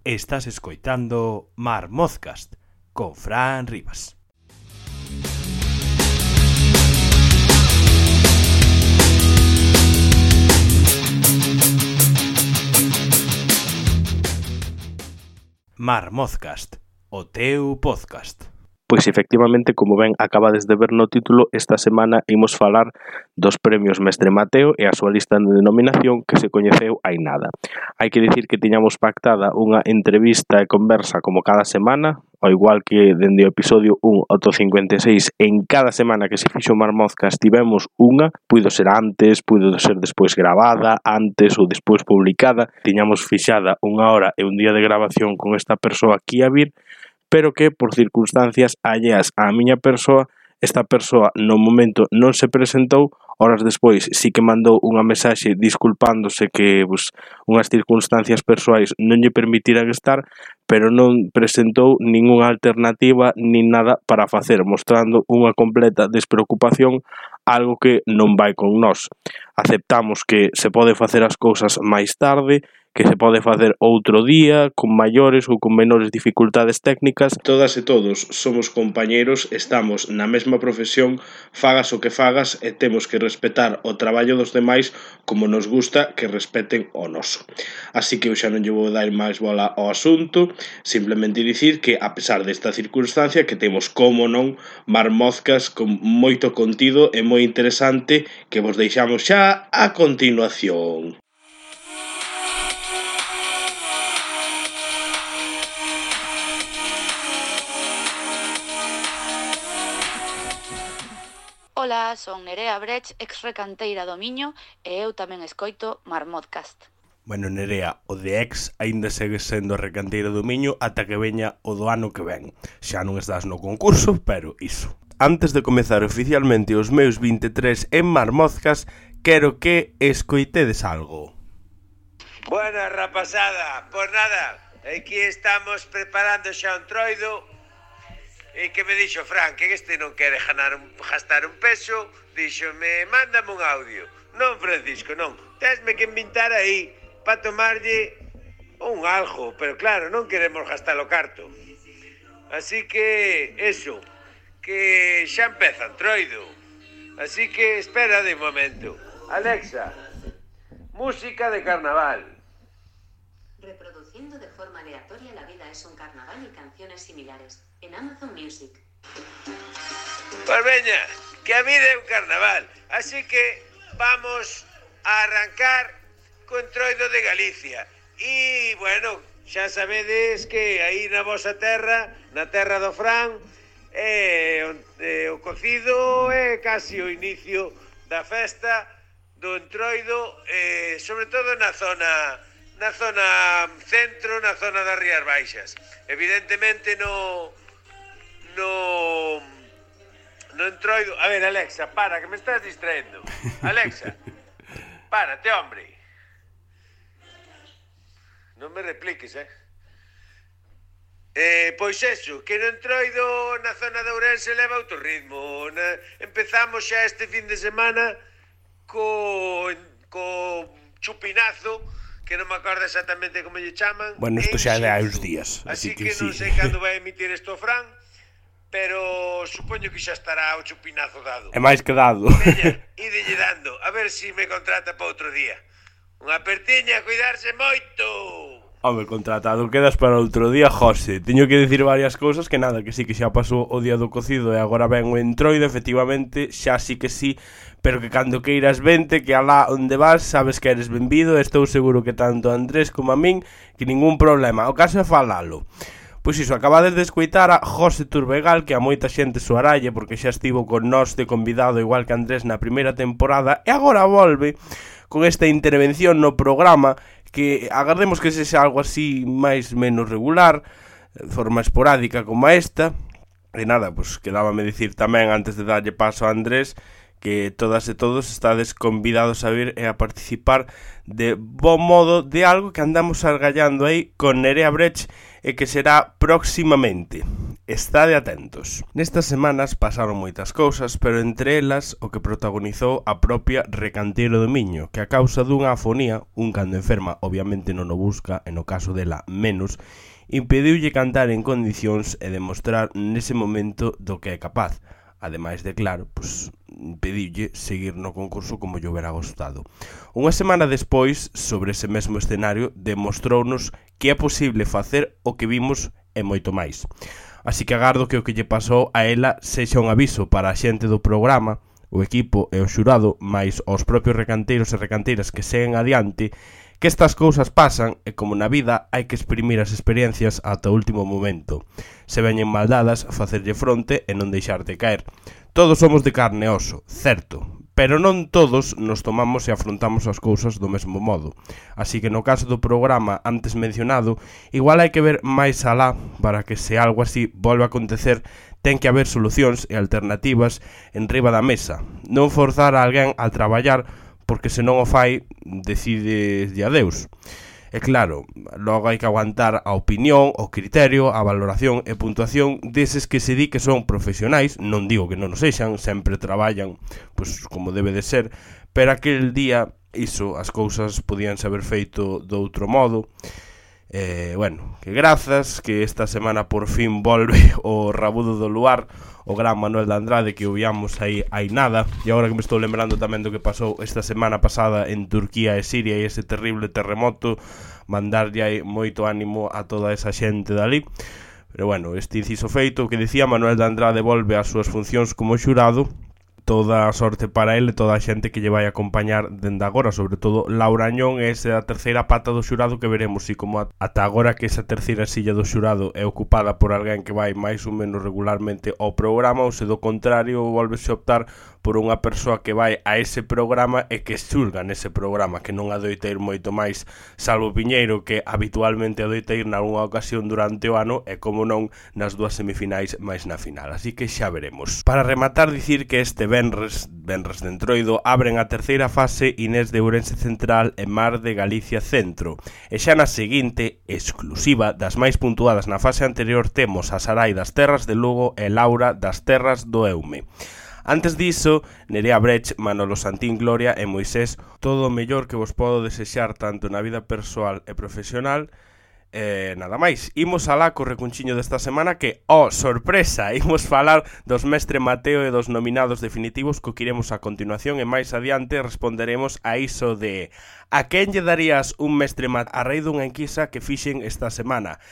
Estás escoitando Marmozcast con Fran Rivas. Marmozcast, o teu podcast. Pois efectivamente, como ben acabades de ver no título, esta semana imos falar dos premios Mestre Mateo e a súa lista de denominación que se coñeceu hai nada. Hai que dicir que tiñamos pactada unha entrevista e conversa como cada semana, ao igual que dende o episodio 1 ao 56, en cada semana que se fixo Marmozcast tivemos unha, puido ser antes, puido ser despois gravada, antes ou despois publicada, tiñamos fixada unha hora e un día de grabación con esta persoa que ia vir, pero que por circunstancias alleas á miña persoa, esta persoa no momento non se presentou, horas despois sí que mandou unha mensaxe disculpándose que unhas circunstancias persoais non lle permitiran estar, pero non presentou ningunha alternativa nin nada para facer, mostrando unha completa despreocupación, algo que non vai con nós. Aceptamos que se pode facer as cousas máis tarde, que se pode facer outro día, con maiores ou con menores dificultades técnicas. Todas e todos somos compañeiros, estamos na mesma profesión, fagas o que fagas e temos que respetar o traballo dos demais como nos gusta que respeten o noso. Así que eu xa non lle vou dar máis bola ao asunto, simplemente dicir que a pesar desta circunstancia que temos como non Marmozcas con moito contido e moi interesante que vos deixamos xa a continuación. Ola, son Nerea Brech, ex-recanteira do Miño, e eu tamén escoito Marmozcast. Bueno, Nerea, o de ex aínda segue sendo recanteira do Miño ata que veña o do ano que ven. Xa non estás no concurso, pero iso. Antes de comezar oficialmente os meus 23 en Marmozcast, quero que escoitedes algo. Buena rapazada, pois nada, aquí estamos preparando xa un troido. E que me dixo Fran, que este non quere gastar un peso, díxome, mándame un audio. Non, Francisco, non, tesme que inventar aí para tomarlle un algo, pero claro, non queremos gastar o carto. Así que, eso, que xa empeza o troido. Así que espera de momento. Alexa, música de carnaval. Reproduciendo de forma aleatoria La vida es un carnaval y canciones similares en Amazon Music. Pues veña, que a vida é un carnaval, así que vamos a arrancar con troido de Galicia. E, bueno, xa sabedes que aí na vosa terra, na terra do Fran, o cocido é casi o inicio da festa do entroido, sobre todo na zona centro, na zona das Rías Baixas. Evidentemente no entroido. A ver, Alexa, para, que me estás distraendo. Alexa, párate, hombre. Non me repliques, pois eso, que no entroido na zona de Ourense leva outro ritmo. Empezamos xa este fin de semana co chupinazo, que non me acordo exactamente como lle chaman. Bueno, isto xa é hai uns días, así que non sei cando vai emitir isto Fran, pero supoño que xa estará o chupinazo dado. É máis que dado. Veña, idelle dando, a ver se me contrata para outro día. Unha apertiña, cuidarse moito. Home, contratado quedas para outro día, José. Teño que dicir varias cousas que nada, que sí que xa pasou o día do cocido e agora ven o entroido, efectivamente, xa sí que sí, pero que cando queiras vente, que alá onde vas sabes que eres benvido, e estou seguro que tanto a Andrés como a min, que ningún problema, o caso é falalo. Pois iso, acabades de escoitar a José Turbegal, que a moita xente soaralle porque xa estivo con nós de convidado igual que Andrés na primeira temporada e agora volve con esta intervención no programa que agardemos que sexa algo así máis menos regular, de forma esporádica como esta. E nada, pois quedábame dicir tamén antes de darlle paso a Andrés que todas e todos estades convidados a vir e a participar de bo modo de algo que andamos argallando aí con Nerea Brech e que será próximamente. Estade atentos. Nestas semanas pasaron moitas cousas, pero entre elas o que protagonizou a propia Recanteira do Miño, que a causa dunha afonía, un cando enferma obviamente non o busca, e no caso dela menos, impediulle cantar en condicións e demostrar nese momento do que é capaz. Ademais de, claro, impediulle seguir no concurso como lle hubiera gustado. Unha semana despois, sobre ese mesmo escenario, demostrounos que é posible facer o que vimos e moito máis. Así que agardo que o que lle pasou a ela sexa un aviso para a xente do programa, o equipo e o xurado, máis aos propios recanteiros e recanteiras que seguen adiante, que estas cousas pasan e como na vida hai que exprimir as experiencias ata o último momento. Se veñen mal dadas, facerlle fronte e non deixarte caer. Todos somos de carne e oso, certo, pero non todos nos tomamos e afrontamos as cousas do mesmo modo. Así que no caso do programa antes mencionado, igual hai que ver máis alá para que se algo así volva a acontecer, ten que haber solucións e alternativas en riba da mesa. Non forzar a alguén a traballar porque se non o fai, decides de adeus. E claro, logo hai que aguantar a opinión, o criterio, a valoración e puntuación deses que se di que son profesionais, non digo que non o sexan, sempre traballan como debe de ser, pero aquel día iso, as cousas podían haber feito de outro modo. Que grazas, que esta semana por fin volve o rabudo do luar, o gran Manuel de Andrade, que o viamos aí nada. E agora que me estou lembrando tamén do que pasou esta semana pasada en Turquía e Siria e ese terrible terremoto, mandarlle aí moito ánimo a toda esa xente dali. Pero este inciso feito, o que dicía, Manuel de Andrade volve ás súas funcións como xurado. Toda a sorte para ele, toda a xente que lle vai acompañar dende agora, sobre todo Laura Añón, é esa terceira pata do xurado que veremos, e como ata agora que esa terceira silla do xurado é ocupada por alguén que vai máis ou menos regularmente ao programa, ou se do contrario volvese a optar por unha persoa que vai a ese programa e que xulga nese programa, que non adoita ir moito máis, salvo Piñeiro, que habitualmente adoita ir nalgúna ocasión durante o ano, e como non nas dúas semifinais máis na final, así que xa veremos. Para rematar, dicir que este Venres de Entroido abren a terceira fase Inés de Ourense Central e Mar de Galicia Centro, e xa na seguinte, exclusiva das máis puntuadas na fase anterior, temos a Sarai das Terras de Lugo e Laura das Terras do Eume. Antes diso, Nerea Brecht, Manolo Santín, Gloria e Moisés, todo o mellor que vos podo desexar tanto na vida persoal e profesional. Nada máis, imos alá co recunchiño desta semana que, sorpresa, imos falar dos Mestre Mateo e dos nominados definitivos que iremos a continuación, e máis adiante responderemos a iso de a quen lle darías un Mestre Mateo a raíz dunha enquisa que fixen esta semana.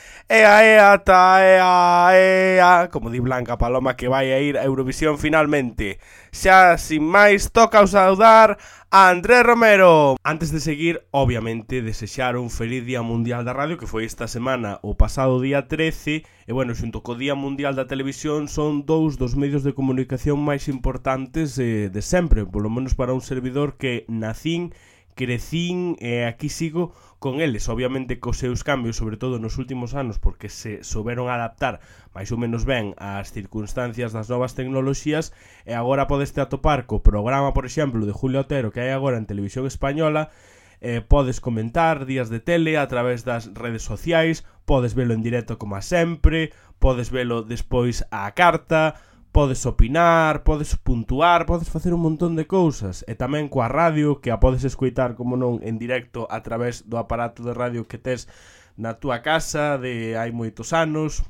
Como di Blanca Paloma, que vai a ir a Eurovisión finalmente. Xa, sin máis, toca saudar a Andrés Romero. Antes de seguir, obviamente, desexar un feliz Día Mundial da Radio, que foi esta semana o pasado día 13, e xunto co Día Mundial da Televisión son dous dos medios de comunicación máis importantes de sempre, polo menos para un servidor que nacín, crecín e aquí sigo con eles, obviamente cos seus cambios, sobre todo nos últimos anos, porque se souberon adaptar máis ou menos ben ás circunstancias das novas tecnoloxías, e agora podeste atopar co programa, por exemplo, de Julio Otero que hai agora en Televisión Española. Podes comentar días de tele a través das redes sociais, podes velo en directo como a sempre, podes velo despois á carta, podes opinar, podes puntuar, podes facer un montón de cousas. E tamén coa radio, que a podes escoitar, como non, en directo a través do aparato de radio que tes na túa casa de hai moitos anos.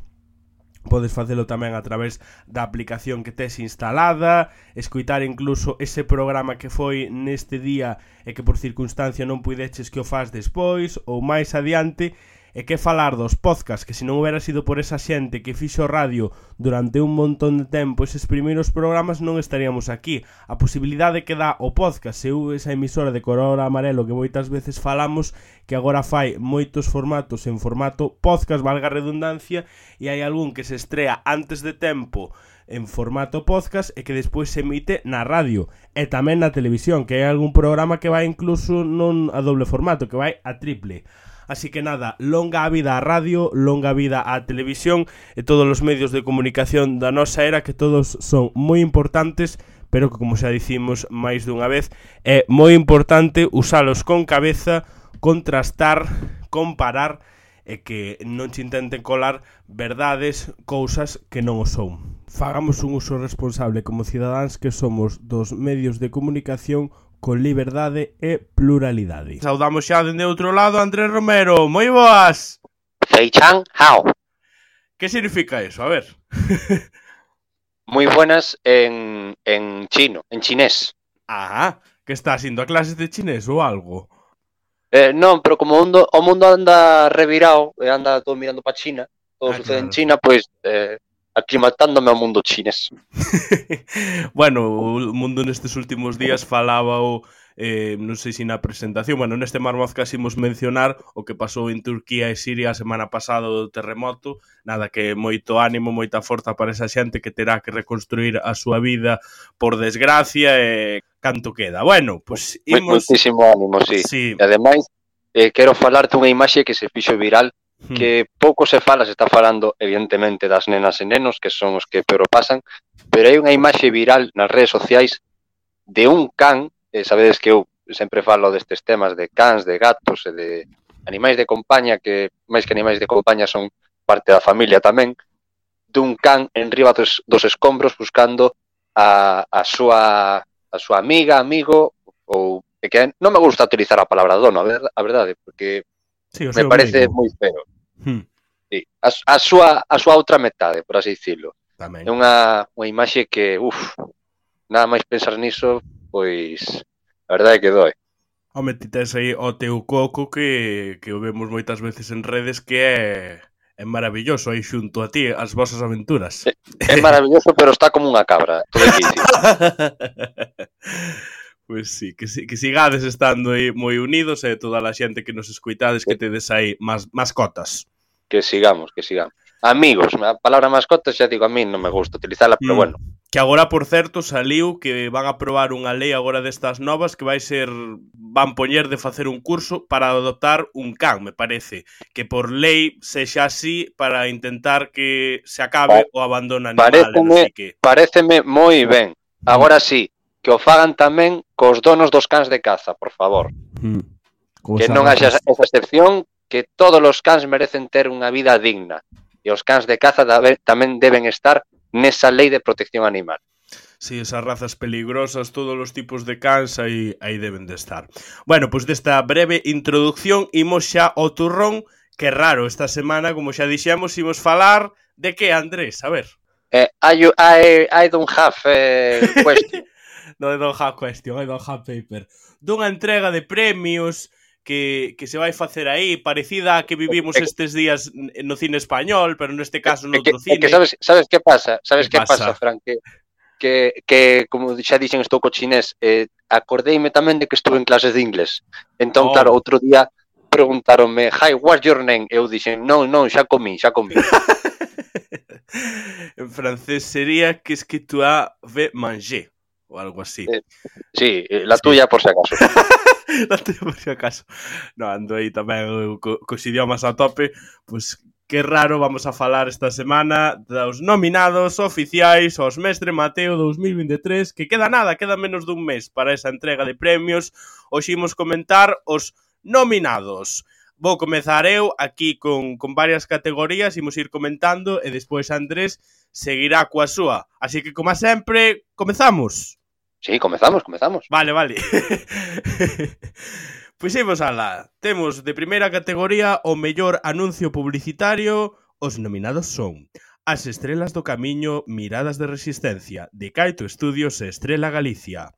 Podes facelo tamén a través da aplicación que tes instalada, escoitar incluso ese programa que foi neste día e que por circunstancia non puideches que o faz despois ou máis adiante. E que falar dos podcasts, que se non hubiera sido por esa xente que fixo radio durante un montón de tempo eses primeiros programas, non estaríamos aquí. A posibilidade que dá o podcast, esa emisora de color amarelo que moitas veces falamos, que agora fai moitos formatos en formato podcast, valga a redundancia, e hai algún que se estrea antes de tempo en formato podcast e que despois se emite na radio e tamén na televisión, que hai algún programa que vai incluso non a doble formato, que vai a triple. Así que nada, longa vida a radio, longa vida a televisión e todos os medios de comunicación da nosa era, que todos son moi importantes, pero que, como xa dicimos máis dunha vez, é moi importante usalos con cabeza, contrastar, comparar e que non che intenten colar verdades, cousas que non o son. Fagamos un uso responsable como cidadáns que somos dos medios de comunicación con liberdade e pluralidade. Saudamos xa dende outro lado Andrés Romero. Moi boas! Feichan Hao. Que significa eso? A ver. Moi buenas en chino, en chinés. Ah, que estás indo a clases de chinés ou algo? Non, pero como o mundo anda revirado, anda todo mirando para China, todo sucede claro. en China, pois aclimatándome ao mundo chinés. Bueno, o mundo nestes últimos días falaba non sei se na presentación, bueno, neste Marmozcas imos mencionar o que pasou en Turquía e Siria a semana pasada do terremoto, nada que moito ánimo, moita forza para esa xente que terá que reconstruir a súa vida por desgracia e canto queda. Bueno, pois imos... Moitísimo ánimo, sí. E ademais, quero falarte unha imaxe que se fixo viral, que pouco se fala, se está falando evidentemente das nenas e nenos, que son os que peor pasan, pero hai unha imaxe viral nas redes sociais de un can, sabedes que eu sempre falo destes temas de cans, de gatos e de animais de compañía, que máis que animais de compañía son parte da familia tamén, dun can en riba dos escombros buscando a súa amiga, amigo, ou que non me gusta utilizar a palabra dono, a verdade, porque sí, me parece moi feo. Sí, a súa outra metade, por así dicilo. Tamén. É unha imaxe que, nada máis pensar niso, pois a verdade é que doi. Home, ti tes aí o teu coco que o vemos moitas veces en redes que é maravilloso aí xunto a ti, as vosas aventuras. É maravilloso, pero está como unha cabra, todo difícil. Pois sí, que sigades estando aí moi unidos e toda a xente que nos escoitades que tedes aí mascotas. Que sigamos. Amigos, a palabra mascotas xa digo, a mí non me gusta utilizarla, pero bueno. Que agora, por certo, saliu que van a aprobar unha lei agora destas novas que van poñer de facer un curso para adoptar un can, me parece. Que por lei sexa así para intentar que se acabe o abandono animal. Paréceme moi ben. Agora sí, que o fagan tamén cos donos dos cans de caza, por favor. Que non haxa esa excepción, que todos os cans merecen ter unha vida digna. E os cans de caza tamén deben estar nesa lei de protección animal. Sí, esas razas peligrosas, todos os tipos de cans aí deben de estar. Bueno, pois desta breve introducción imos xa ao turrón, que raro esta semana, como xa dixemos, imos falar de que, Andrés? A ver. I don't have question. Non, I don't have question, I don't have paper. Dunha entrega de premios que se vai facer aí, parecida a que vivimos estes días no cine español, pero neste caso no outro cine. Que sabes que pasa? Sabes que pasa, Fran? Que como xa dixen, estou co chinés, acordeime tamén de que estuve en clases de inglés. Entón, claro, outro día preguntaronme, hi, what's your name? Eu dixen, non, xa comí. En francés sería que es que tu avais mangé, ou algo así. Sí, la tuya por si acaso. La tuya por si acaso. No, ando aí tamén cos idiomas a tope. Pois que raro, vamos a falar esta semana dos nominados oficiais aos Mestre Mateo 2023, que queda menos dun mes para esa entrega de premios. Hoxe imos comentar os nominados. Vou comezar eu aquí con varias categorías, imos ir comentando e despois Andrés seguirá coa súa. Así que, como sempre, comezamos. Sí, comezamos. Vale. Pois imos alá. Temos de primeira categoría o mellor anuncio publicitario. Os nominados son As estrelas do camiño, Miradas de resistencia, de Caito Estudios e Estrela Galicia.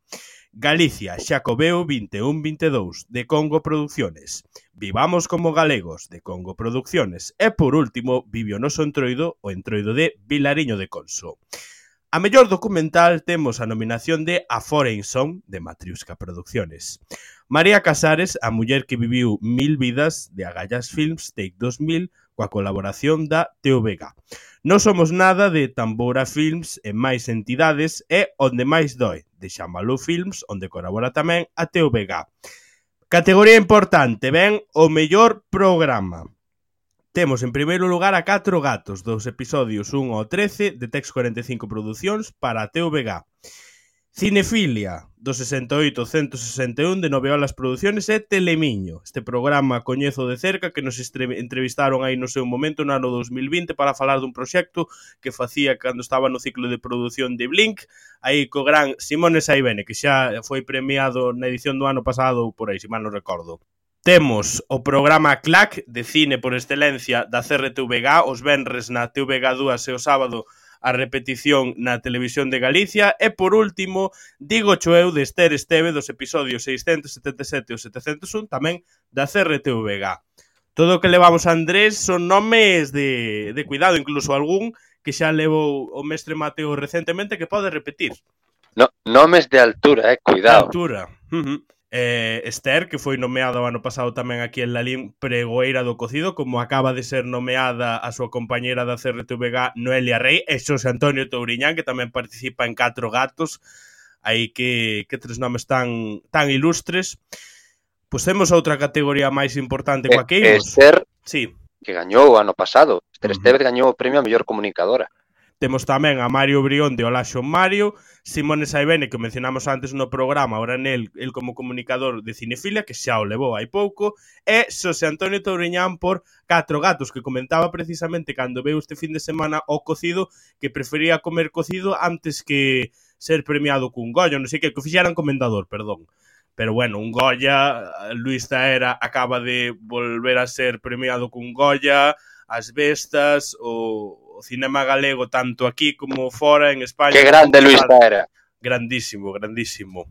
Galicia, Xacobeo 21-22, de Congo Producciones. Vivamos como galegos, de Congo Producciones. E, por último, Vive o noso entroido, o entroido de Vilariño de Conso. A mellor documental temos a nominación de A Foreign Song, de Matriusca Producciones. María Casares, a muller que viviu 1000 vidas, de Agallas Films, Take 2000, coa colaboración da TVG. Non somos nada, de Tambora Films e máis entidades, e Onde máis doi, de Xamalú Films, onde colabora tamén a TVG. Categoría importante, ben, o mellor programa. Temos en primeiro lugar a 4 gatos, dos episodios 1 ao 13 de Tex 45 Producións para a TVG. Cinefilia, do 68-161 de Noveolas Produciones e Telemiño. Este programa coñezo de cerca que nos entrevistaron aí no seu momento no ano 2020 para falar dun proxecto que facía cando estaba no ciclo de produción de Blink, aí co gran Simone Saibene, que xa foi premiado na edición do ano pasado ou por aí, se mal non recordo. Temos o programa CLAC de cine por excelencia da CRTVG, os venres na TVG2 e o sábado a repetición na Televisión de Galicia e, por último, Digo eu de Esther Esteve dos episodios 677 e 701 tamén da CRTVG. Todo o que levamos a Andrés son nomes de cuidado, incluso algún que xa levou o mestre Mateo recentemente que pode repetir. No, nomes de altura, cuidado. De altura. Esther, que foi nomeada o ano pasado tamén aquí en Lalín pregoeira do cocido, como acaba de ser nomeada a súa compañera da CRTVG Noelia Rey e Xosé Antonio Touriñán, que tamén participa en 4 gatos. Aí que tres nomes tan ilustres. Pois temos outra categoría máis importante coa que imos. Esther, sí, que gañou o ano pasado. Esther Estevez gañou o premio a mellor comunicadora. Temos tamén a Mario Brión de Hola Xon Mario, Simone Saibene, que mencionamos antes no programa, ahora el como comunicador de Cinefilia, que xa o levou hai pouco, e Xosé Antonio Touriñán por 4 gatos, que comentaba precisamente cando veu este fin de semana o cocido, que prefería comer cocido antes que ser premiado cun Goya, non sei que fixeran comendador, perdón. Pero bueno, un Goya, Luis Zaera acaba de volver a ser premiado cun Goya, As Bestas, o cinema galego, tanto aquí como fora en España. Que grande Luis Zaera. Grandísimo, grandísimo.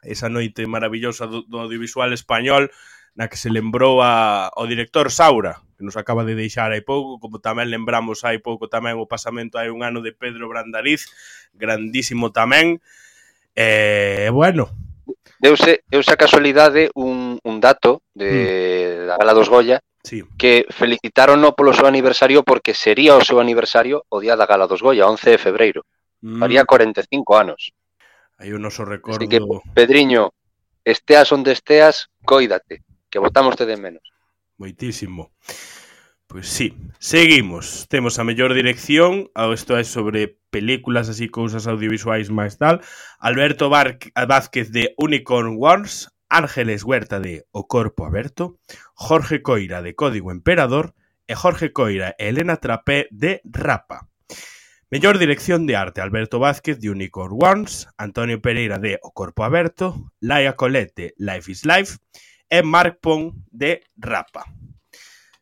Esa noite maravillosa do audiovisual español na que se lembrou ao director Saura, que nos acaba de deixar hai pouco, como tamén lembramos hai pouco tamén o pasamento hai un ano de Pedro Brandariz, grandísimo tamén. Bueno, Deuse a casualidade un dato da Gala dos Goya, sí, que felicitarono polo seu aniversario porque sería o seu aniversario o día da Gala dos Goya, 11 de febreiro. Faría 45 anos. Aí o noso recordo. Así que, Pedriño, esteas onde esteas, cóidate, que botámoste de menos. Moitísimo. Pois sí, seguimos. Temos a mellor dirección, isto é sobre películas, así, cousas audiovisuais máis tal. Alberto Vázquez de Unicorn Wars, Ángeles Huerta de O Corpo Aberto, Jorge Coira de Código Emperador e Jorge Coira e Elena Trapé de Rapa. Mellor dirección de arte, Alberto Vázquez de Unicorn Wars, Antonio Pereira de O Corpo Aberto, Laia Colette, Life is Life e Marc Pon de Rapa.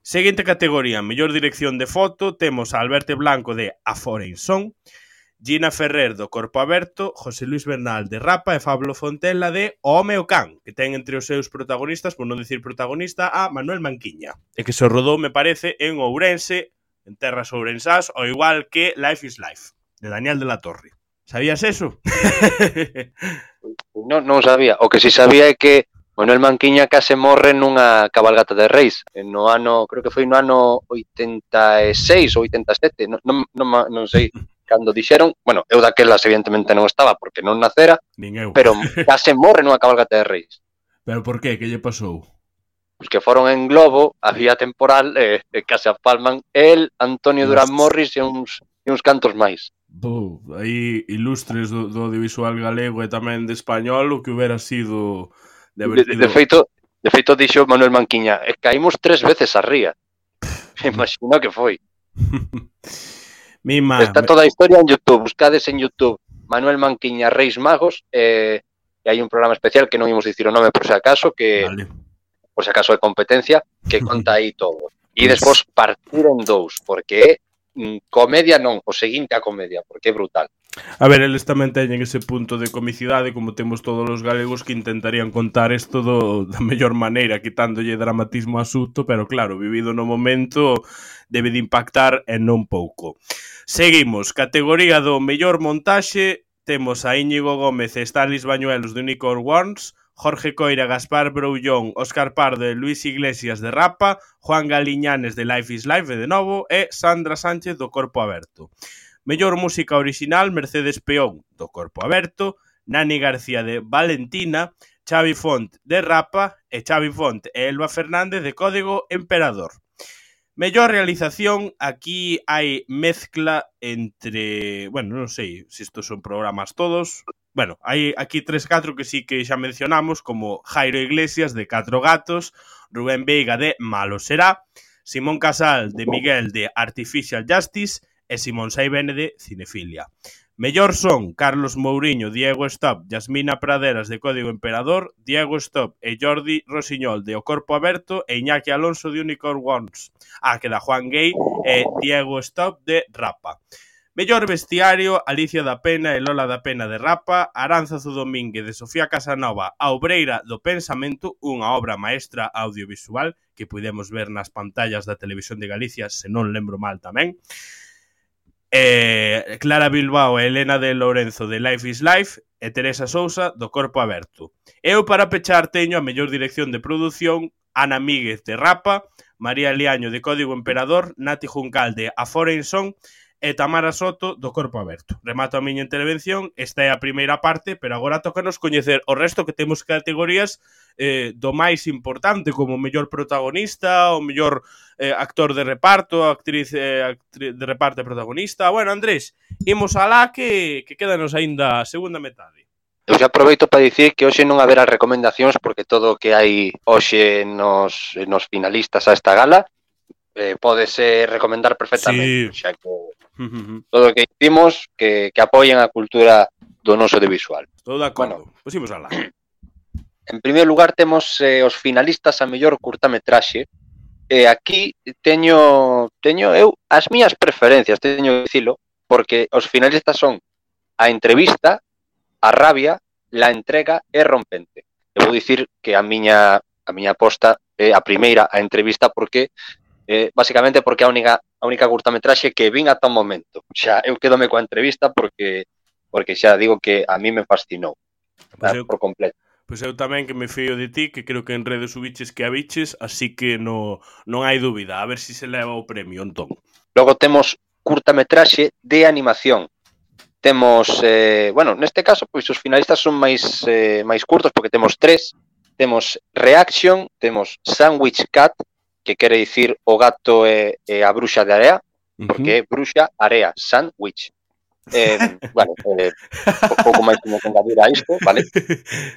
Seguinte categoría, mellor dirección de foto, temos a Alberto Blanco de A Foreign Song, Gina Ferrer do Corpo Aberto, José Luis Bernal de Rapa e Pablo Fontela de O Home o Can, que ten entre os seus protagonistas, por non dicir protagonista, a Manuel Manquiña, e que se rodou, me parece, en Ourense, en terras ourensás, ao igual que Life is Life, de Daniel de la Torre. Sabías eso? Non sabía. O que si sabía é que Manuel Manquiña case morre nunha cabalgata de reis, no ano, creo que foi no ano 86 ou 87, non sei cando dixeron, bueno, eu daquelas evidentemente non estaba porque non nacera, pero case morre nunha cabalgata de reis. Pero por qué? Que lle pasou? Pois que foron en globo, a vía temporal, case a palman el, Antonio Durán Morris e uns cantos máis. Aí ilustres do audiovisual galego e tamén de español, o que hubiera sido... De feito dixo Manuel Manquiña, caímos 3 veces a ría. Imagino que foi. Está toda a historia en YouTube, buscades en YouTube Manuel Manquiña Reis Magos, e hai un programa especial que non imos dicir o nome por se acaso, que vale, por se acaso de competencia, que conta aí todo. E despois partir en 2, porque é comedia non, o seguinte a comedia, porque é brutal. A ver, eles tamén teñen ese punto de comicidade, como temos todos os galegos que intentarían contar isto da mellor maneira, quitándolle dramatismo asunto, pero claro, vivido no momento debe de impactar e non pouco. Seguimos, categoría do mellor montaxe, temos a Íñigo Gómez e Stanis Bañuelos de Unicorn Wars, Jorge Coira, Gaspar Broullón, Óscar Pardo e Luis Iglesias de Rapa, Juan Galiñanes de Life is Life de novo e Sandra Sánchez do Corpo Aberto. Mellor música original, Mercedes Peón do Corpo Aberto, Nani García de Valentina, Xavi Font de Rapa e Xavi Font e Elba Fernández de Código Emperador. Mellor realización, aquí hai mezcla entre... Bueno, non sei se estos son programas todos, Bueno, hai aquí 3-4 que sí que xa mencionamos, como Jairo Iglesias, de 4 gatos, Rubén Veiga, de Malo será, Simón Casal, de Miguel, de Artificial Justice, e Simón Saibene, de Cinefilia. Mellor son Carlos Mouriño, Diego Stop, Yasmina Praderas, de Código Emperador, Diego Stop e Jordi Rosiñol, de O Corpo Aberto, e Iñaki Alonso, de Unicorn Ones. Queda Juan Gay e Diego Stop, de Rapa. Mellor vestiario, Alicia da Pena e Lola da Pena, de Rapa, Aránzazu Domínguez, de Sofía Casanova, A Obreira do Pensamento, unha obra maestra audiovisual que podemos ver nas pantallas da Televisión de Galicia, se non lembro mal tamén. Clara Bilbao e Elena de Lorenzo, de Life is Life, e Teresa Sousa, do Corpo Aberto. Eu, para pechar, teño a mellor dirección de produción, Ana Míguez, de Rapa, María Liaño, de Código Emperador, Nati Juncal, de A Foreign Song, e Tamara Soto, do Corpo Aberto. Remato a miña intervención, esta é a primeira parte, pero agora tócanos coñecer o resto, que temos categorías do máis importante, como o mellor protagonista, o mellor actor de reparto, actriz de reparto e protagonista. Bueno, Andrés, imos alá que quédanos aínda a segunda metade. Eu xa aproveito para dicir que hoxe non haberá recomendacións, porque todo o que hai hoxe nos finalistas a esta gala pódese recomendar perfectamente, sí. Xa que todo o que hicimos que apoien a cultura do noso audiovisual. Estou de acordo. Bueno, pois imos alá. En primeiro lugar temos os finalistas a mellor curtametraxe. Aquí teño eu as miñas preferencias, teño que dicilo, porque os finalistas son A Entrevista, A Rabia, La Entrega e Rompente. Eu vou dicir que a miña aposta é a primeira, A Entrevista, porque basicamente porque a única curtametraxe que vin ata o momento. Xa eu quedome coa Entrevista porque xa digo que a mí me fascinou por completo. Pois eu tamén, que me fío de ti, que creo que en redes subiches que a biches, así que non hai dúbida, a ver se se leva o premio, entón. Logo temos curtametraxe de animación. Temos, neste caso, pois os finalistas son máis curtos, porque temos 3. Temos Reaction, temos Sandwich Cat, que quere dicir o gato e a bruxa de area, porque é bruxa, area, sandwich. Pouco máis como engadir a isto, vale?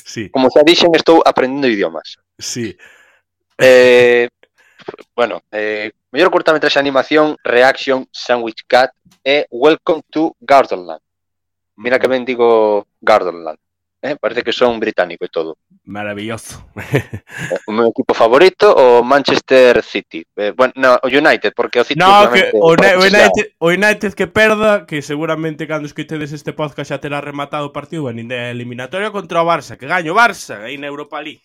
Sí. Como xa dixen, estou aprendendo idiomas. Sí. Mellor curtametraxe de animación, Reaction, Sandwich Cat e Welcome to Gardenland. Mira que ben digo Gardenland. Parece que son británico e todo. Maravilloso. O meu equipo favorito, o Manchester City. O United, porque o City... No, que o United que perda, que seguramente cando escoitedes este podcast xa terá rematado o partido, nin de eliminatoria contra o Barça, que gaño o Barça aí na Europa League.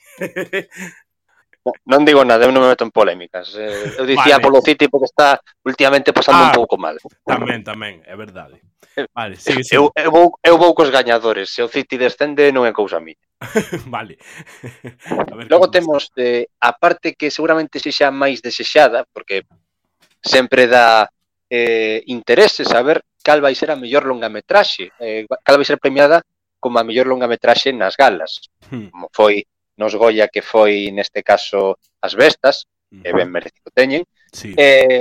Non digo nada, eu non me meto en polémicas. Eu dicía polo City porque está últimamente pasando un pouco mal. Tamén, é verdade. Vale, sigue. Eu vou cos gañadores. Se o City descende non é cousa miña. Vale. Logo temos a parte que seguramente sexa máis desexada, porque sempre dá interese saber cal vai ser a mellor longametraxe, cal vai ser premiada como a mellor longametraxe nas galas, como foi nos Goya, que foi neste caso As Bestas, e ben merecido teñen. Sí.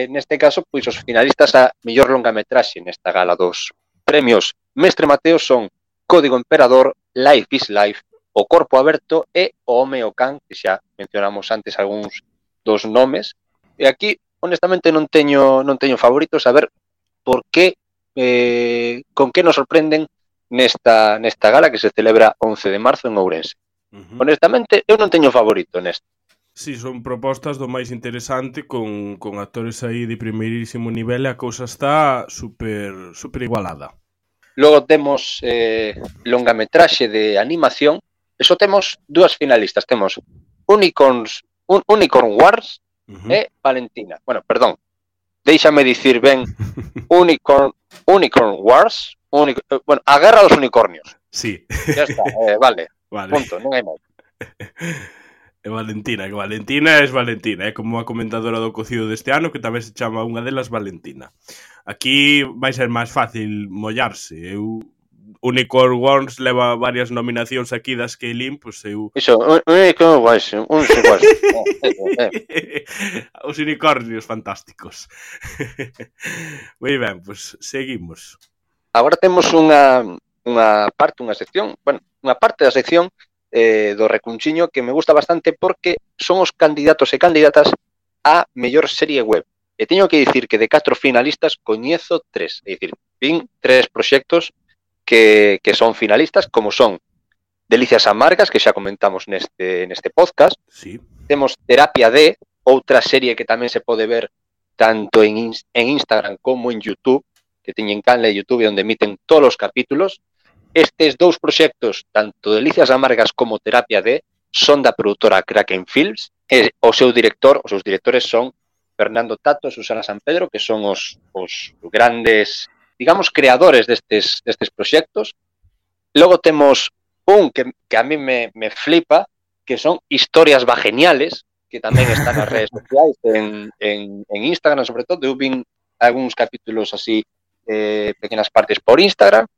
Neste caso, pois os finalistas a mellor longametraxe nesta gala dos premios Mestre Mateo son Código Emperador, Life is Life, O Corpo Aberto e O Home e o Can, que xa mencionamos antes algúns dos nomes. E aquí, honestamente, non teño favoritos, a ver por que, con que nos sorprenden nesta gala que se celebra 11 de marzo en Ourense. Honestamente, eu non teño favorito nesta. Sí, son propostas do máis interesante con actores aí de primeirísimo nivel e a cousa está super igualada. Logo temos longametraxe de animación e só temos 2 finalistas. Temos Unicorn Wars e Valentina. Bueno, perdón, déixame dicir ben Unicorn Wars, a guerra dos unicornios. Sí. Ya está, vale. Punto, non hai máis. E Valentina, que Valentina é Valentina, como a comentadora do cocido deste ano, que tamén se chama unha delas Valentina. Aquí vai ser máis fácil mollarse. Unicorn Wars leva varias nominacións aquí das que lin, pois eu... Iso, Unicorn Wars, Os unicornios fantásticos. Moi ben, pois seguimos. Agora temos unha unha sección, unha parte da sección do Recunchiño que me gusta bastante porque son os candidatos e candidatas a mellor serie web. E teño que dicir que de 4 finalistas coñezo 3, é dicir, vin 3 proxectos que son finalistas, como son Delicias Amargas, que xa comentamos neste podcast. Sí. Temos Terapia D, outra serie que tamén se pode ver tanto en Instagram como en YouTube, que teñen canle de YouTube onde emiten todos os capítulos. Estes 2 proxectos, tanto Delicias Amargas como Terapia D, son da produtora Kraken Films, e os seus directores son Fernando Tato e Susana San Pedro, que son os grandes, digamos, creadores destes proxectos. Logo temos un que a mí me flipa, que son Historias Vageniales, que tamén están nas redes sociais, en Instagram, sobre todo. Eu vin algúns capítulos así, pequenas partes por Instagram,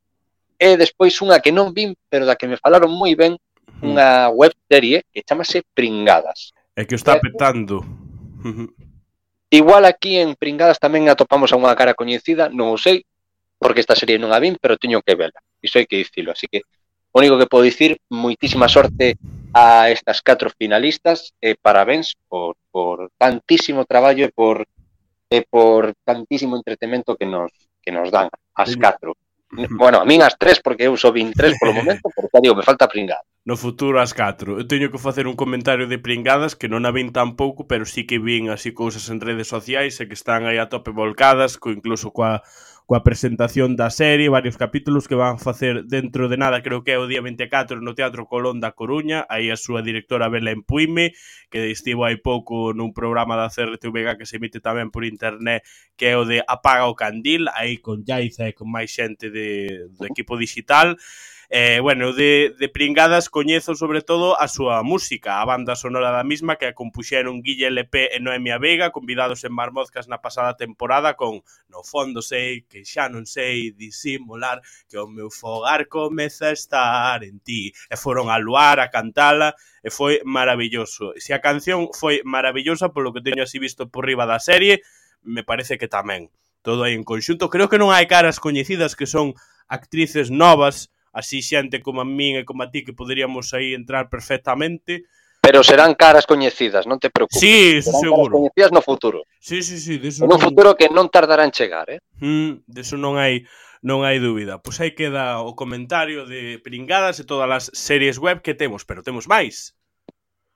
e despois unha que non vin, pero da que me falaron moi ben, unha web serie que chamase Pringadas. É que o está petando. Igual aquí en Pringadas tamén atopamos a unha cara coñecida, non o sei, porque esta serie non a vin, pero teño que vela. Iso hai que dicilo, así que o único que podo dicir, moitísima sorte a estas 4 finalistas e parabéns por tantísimo traballo e por tantísimo entretemento que nos dan as 4. Bueno, a min as 3, porque eu só vin 3 polo momento, pero xa digo, me falta Pringadas. No futuro as 4. Eu teño que facer un comentario de Pringadas, que non a vin tampouco, pero sí que vin así cousas en redes sociais e que están aí a tope volcadas, incluso coa presentación da serie, varios capítulos que van facer dentro de nada, creo que é o día 24 no Teatro Colón da Coruña. Aí a súa directora Belén Puime, que estivo hai pouco nun programa da CRTVG que se emite tamén por internet, que é o de Apaga o Candil, aí con Yaiza e con máis xente do equipo digital. Bueno, de Pringadas coñezo sobre todo a súa música, a banda sonora da misma, que a compuxeron Guille LP e Noemia Veiga, convidados en Marmozcas na pasada temporada, con No fondo sei que xa non sei disimular que o meu fogar comeza a estar en ti. E foron a Luar a cantala e foi maravilloso. Se a canción foi maravillosa, polo que teño así visto por riba da serie, me parece que tamén. Todo aí en conxunto. Creo que non hai caras coñecidas que son actrices novas, así xente como a min e como a ti, que poderíamos aí entrar perfectamente. Pero serán caras coñecidas, non te preocupes. Sí, eso serán seguro. Caras coñecidas no futuro. Sí, deso en un futuro que non tardará en chegar, Deso non hai dúbida. Pois aí queda o comentario de Pringadas e todas as series web que temos, pero temos máis.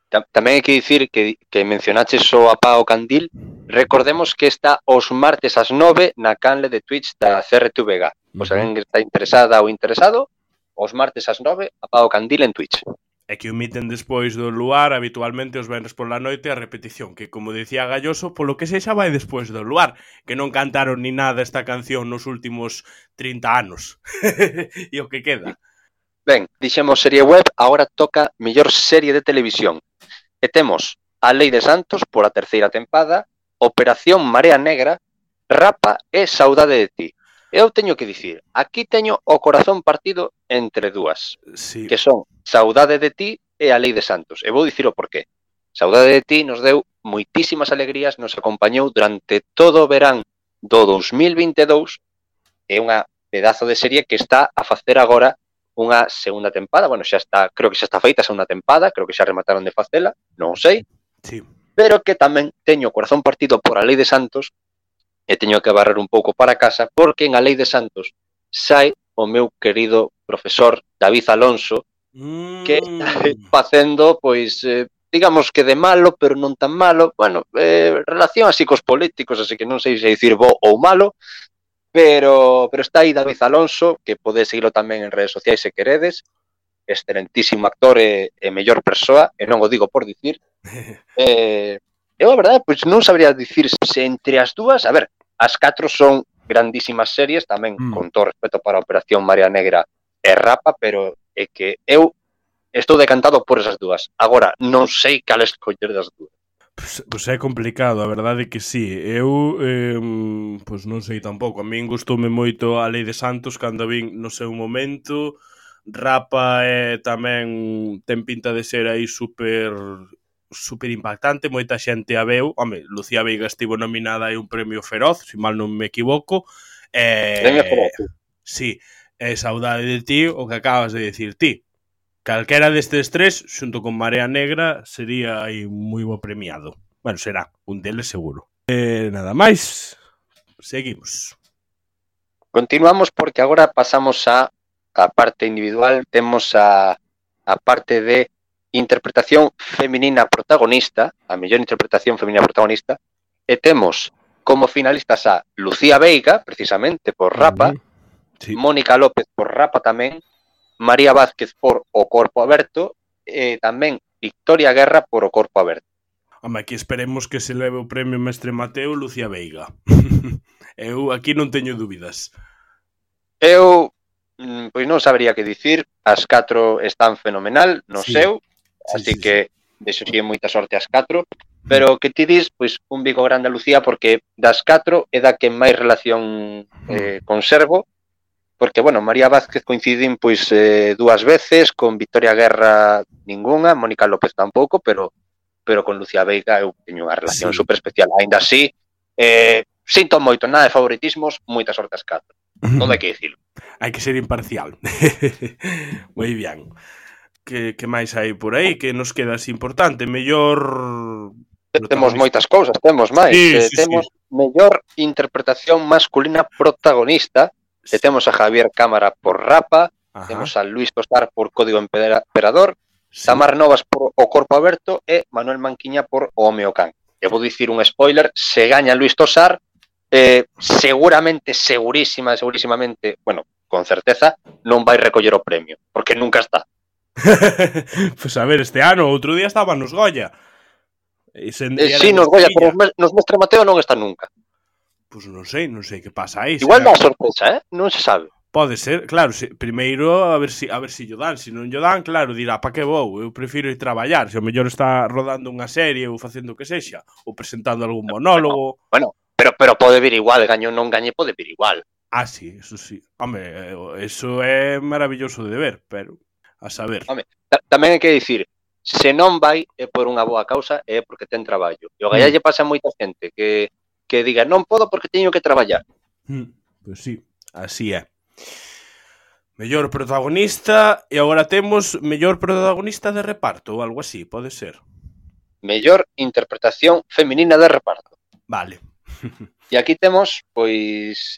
Tamén hai que dicir que mencionaches o Apaga o Candil. Recordemos que está os martes ás 9 na canle de Twitch da CRTVG. Pois alguén que está interesada ou interesado, os martes ás 9, Apaga o Candil en Twitch. E que emiten despois do Luar, habitualmente os venres por la noite, a repetición, que como dicía Galloso, polo que sexa vai despois do Luar, que non cantaron ni nada esta canción nos últimos 30 anos. E o que queda. Ben, dixemos serie web, agora toca mellor serie de televisión. E temos A Lei de Santos, por a terceira tempada, Operación Marea Negra, Rapa e Saudade de ti. Eu teño que dicir, aquí teño o corazón partido entre dúas, sí, que son Saudade de ti e A Lei de Santos. E vou dicir o porqué. Saudade de ti nos deu moitísimas alegrías, nos acompañou durante todo o verán do 2022, e unha pedazo de serie que está a facer agora unha segunda tempada. Bueno, xa está, creo que xa está feita a segunda tempada, creo que xa remataron de facela, non sei. Sí. Pero que tamén teño o corazón partido por A Lei de Santos, e teño que barrer un pouco para casa, porque en A Lei de Santos sai o meu querido profesor David Alonso, que está facendo, pois, digamos que de malo, pero non tan malo. Bueno, relación así cos políticos, así que non sei se dicir bo ou malo, pero está aí David Alonso, que podes seguilo tamén en redes sociais se queredes, excelentísimo actor e mellor persoa, e non o digo por dicir. Eu, a verdade, pois non sabría dicir se entre as dúas, a ver, as 4 son grandísimas series, tamén con todo respeto para a Operación Marea Negra e Rapa, pero é que eu estou decantado por esas dúas. Agora, non sei cal escoller das dúas. Pois é complicado, a verdade que sí. Eu, pois non sei tampouco. A min gustoume moito A Lei de Santos cando vin no seu momento. Rapa tamén ten pinta de ser aí super impactante, moita xente a veu. Home, Lucía Veiga estivo nominada aí un premio Feroz, se mal non me equivoco. Premio Feroz. Sí. É saudade de ti o que acabas de dicir ti. Calquera destes tres, xunto con Marea Negra, sería aí moi bo premiado. Bueno, será, un deles seguro. Nada máis, seguimos. Continuamos porque agora pasamos a parte individual, temos a parte de interpretación feminina protagonista, a mellor interpretación feminina protagonista, e temos como finalistas a Lucía Veiga, precisamente, por Rapa, sí. Mónica López por Rapa tamén, María Vázquez por O Corpo Aberto e tamén Victoria Guerra por O Corpo Aberto. Home, aquí esperemos que se leve o premio Mestre Mateo Lucía Veiga. Eu aquí non teño dúbidas. Eu, pois non sabería que dicir, as 4 están fenomenal no seu, así que deixo si moita sorte as 4, pero que ti dis, pois un bico grande a Lucía porque das 4 é da que máis relación conservo, porque, bueno, María Vázquez coincidín pois 2 veces, con Victoria Guerra ningunha, Mónica López tampouco, pero con Lucía Veiga eu teño unha relación super especial. Ainda así, sinto moito, nada de favoritismos, moita sorte as 4. Non hai que dicilo. Hai que ser imparcial. Moi bien. Que máis hai por aí? Que nos queda así importante? Mellor... Temos moitas cousas, temos máis. Temos mellor interpretación masculina protagonista. E temos a Javier Cámara por Rapa, temos a Luis Tosar por Código Emperador, Tamar Novas por O Corpo Aberto e Manuel Manquiña por O Home o Can. E vou dicir un spoiler, se gaña Luis Tosar, seguramente, segurísimamente, bueno, con certeza, non vai recoller o premio, porque nunca está. Pues a ver, este ano, outro día estaba nos Goya. Sí, nos Goya, pero nos Mestre Mateo non está nunca. Pois non sei que pasa aí. Igual dá sorpresa, non se sabe. Pode ser, claro, primeiro a ver si lle dan, se non lle dan, claro, dirá, pa que vou? Eu prefiro ir traballar, se o mellor está rodando unha serie ou facendo o que sexa, ou presentando algún monólogo. Bueno, pero pode vir igual, gaño non gañe, pode vir igual. Ah, sí, eso sí. Home, eso é maravilloso de ver, pero a saber. Home, tamén hai que dicir, se non vai é por unha boa causa, é porque ten traballo. E o Gaia lle pasa a moita xente que diga, non podo porque teño que traballar. Pois sí, así é. Mellor protagonista, e agora temos mellor protagonista de reparto ou algo así, pode ser. Mellor interpretación feminina de reparto. Vale. E aquí temos, pois,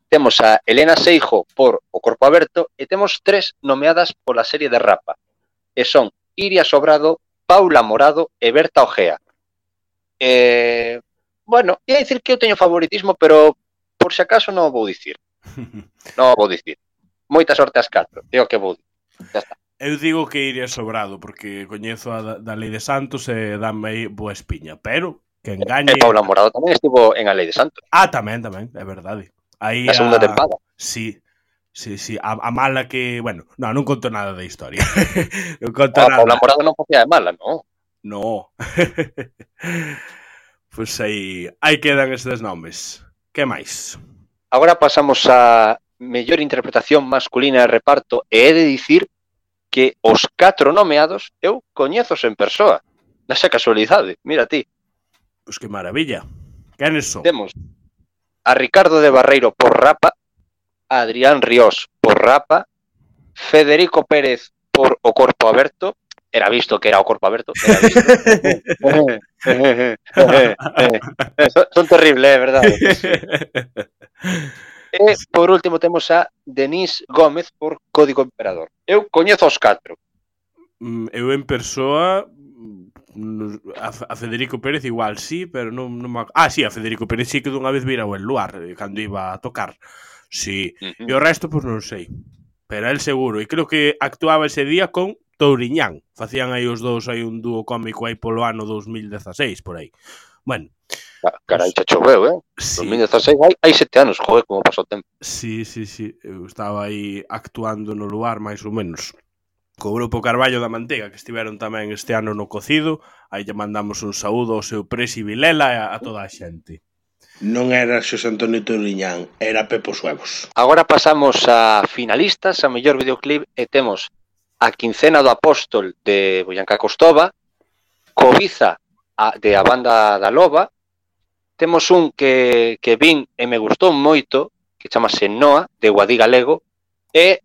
temos a Elena Seijo por O Corpo Aberto e temos 3 nomeadas pola serie de Rapa. E son Iria Sobrado, Paula Morado e Berta Ojea. Bueno, ia dicir que eu teño favoritismo, pero por se acaso non o vou dicir. Non o vou dicir. Moita sorte ás 4, é o que vou dicir. Ya está. Eu digo que iría Sobrado, porque coñezo a da Lei de Santos e dame aí boa espiña, pero que engañe... E Paula Morado tamén estivo en A Lei de Santos. Ah, tamén, é verdade. Aí a segunda tempada. Sí, a mala que... Bueno, non conto nada da historia. Non conto nada. Paula Morado non facía de mala, non? No. Pois aí quedan estes nomes. Que máis? Agora pasamos a mellor interpretación masculina de reparto e he de dicir que os 4 nomeados eu coñezos en persoa. Nasa casualidade, mira ti. Pois que maravilla. Quenes son? Temos a Ricardo de Barreiro por Rapa, a Adrián Ríos por Rapa, Federico Pérez por O Corpo Aberto, era visto que era O Corpo Aberto, era visto. Son terribles, verdade? E, por último, temos a Denise Gómez por Código Emperador. Eu coñezo os 4. Eu en persoa a Federico Pérez igual sí, pero non sí, a Federico Pérez sí que dunha vez vira o El Luar cando iba a tocar. Sí. E o resto, pois non sei. Pero el seguro. E creo que actuaba ese día con Touriñán. Facían aí os dous aí un dúo cómico aí polo ano 2016, por aí. Bueno. Carai, xa choveu, Sí. 2016, hai 7 anos, joder, como pasou o tempo. Sí. Eu estaba aí actuando no Luar, máis ou menos. Co grupo Carballo da Mantega, que estiveron tamén este ano no Cocido. Aí lle mandamos un saúdo ao seu Presi Vilela e a toda a xente. Non era Xosé Antonio Touriñán, era Pepo Suevos. Agora pasamos a finalistas, a mellor videoclip, e temos a Quincena do Apóstol de Boyanca Costova, Cobiza de A Banda da Loba, temos un que vin e me gustou moito, que chamase Noa, de Guadí Galego, E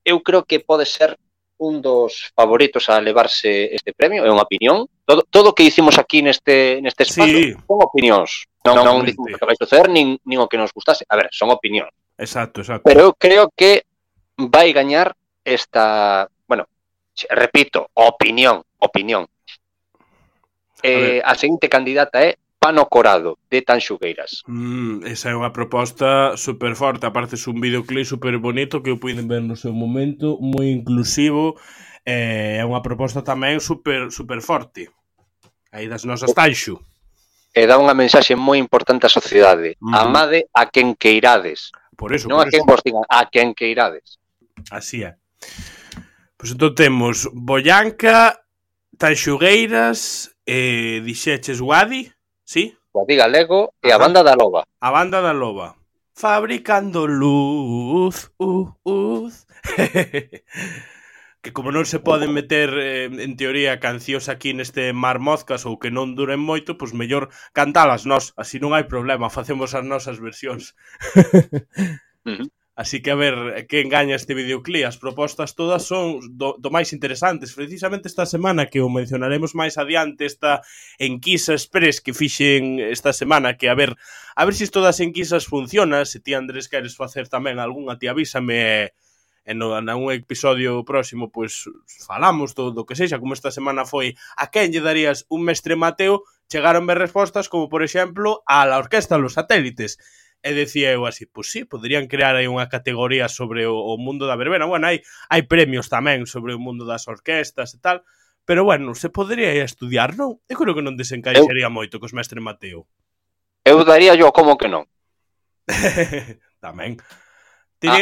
eu creo que pode ser un dos favoritos a levarse este premio, é unha opinión. Todo o que hicimos aquí neste espacio son opinións. Non dicimos que vai suceder, nin o que nos gustase. A ver, son opinións. Exacto. Pero eu creo que vai gañar esta... Bueno, repito, opinión. A seguinte candidata é Pano Corado, de Tanxugueiras. Esa é unha proposta super forte. Aparte, é un videoclip super bonito que eu puiden ver no seu momento, moi inclusivo. É unha proposta tamén super forte. Aí das nosas Tanxu. E dá unha mensaxe moi importante á sociedade. Amade a quen queirades. Por eso, non a quen vos digan, a quen queirades. Así é. Pois entón temos Boyanca, Tanxugueiras, dixeches Guadi, sí? Guadi Galego e a Banda da Loba. A Banda da Loba. Fabricando luz. Que como non se poden meter, en teoría, cancións aquí neste Mar Mozcas ou que non duren moito, pois mellor cantalas nós, así non hai problema, facemos as nosas versións. Así que a ver quen gaña este videoclip. As propostas todas son do máis interesantes. Precisamente esta semana, que o mencionaremos máis adiante, esta enquisa express que fixen esta semana, que a ver se isto das enquisas funciona. Se ti, Andrés, queres facer tamén algunha, ti avísame, e nun episodio próximo pois falamos do que sexa. Como esta semana foi a quen lle darías un Mestre Mateo, chegaronme respostas como, por exemplo, a la Orquesta Los Satélites. E decía eu así, pois sí, poderían crear aí unha categoría sobre o mundo da verbena. Bueno, hai premios tamén sobre o mundo das orquestas e tal, pero bueno, se podría estudiar, non? Eu creo que non desencaixaría moito cos Mestre Mateo. Eu daría yo como que non. Tamén.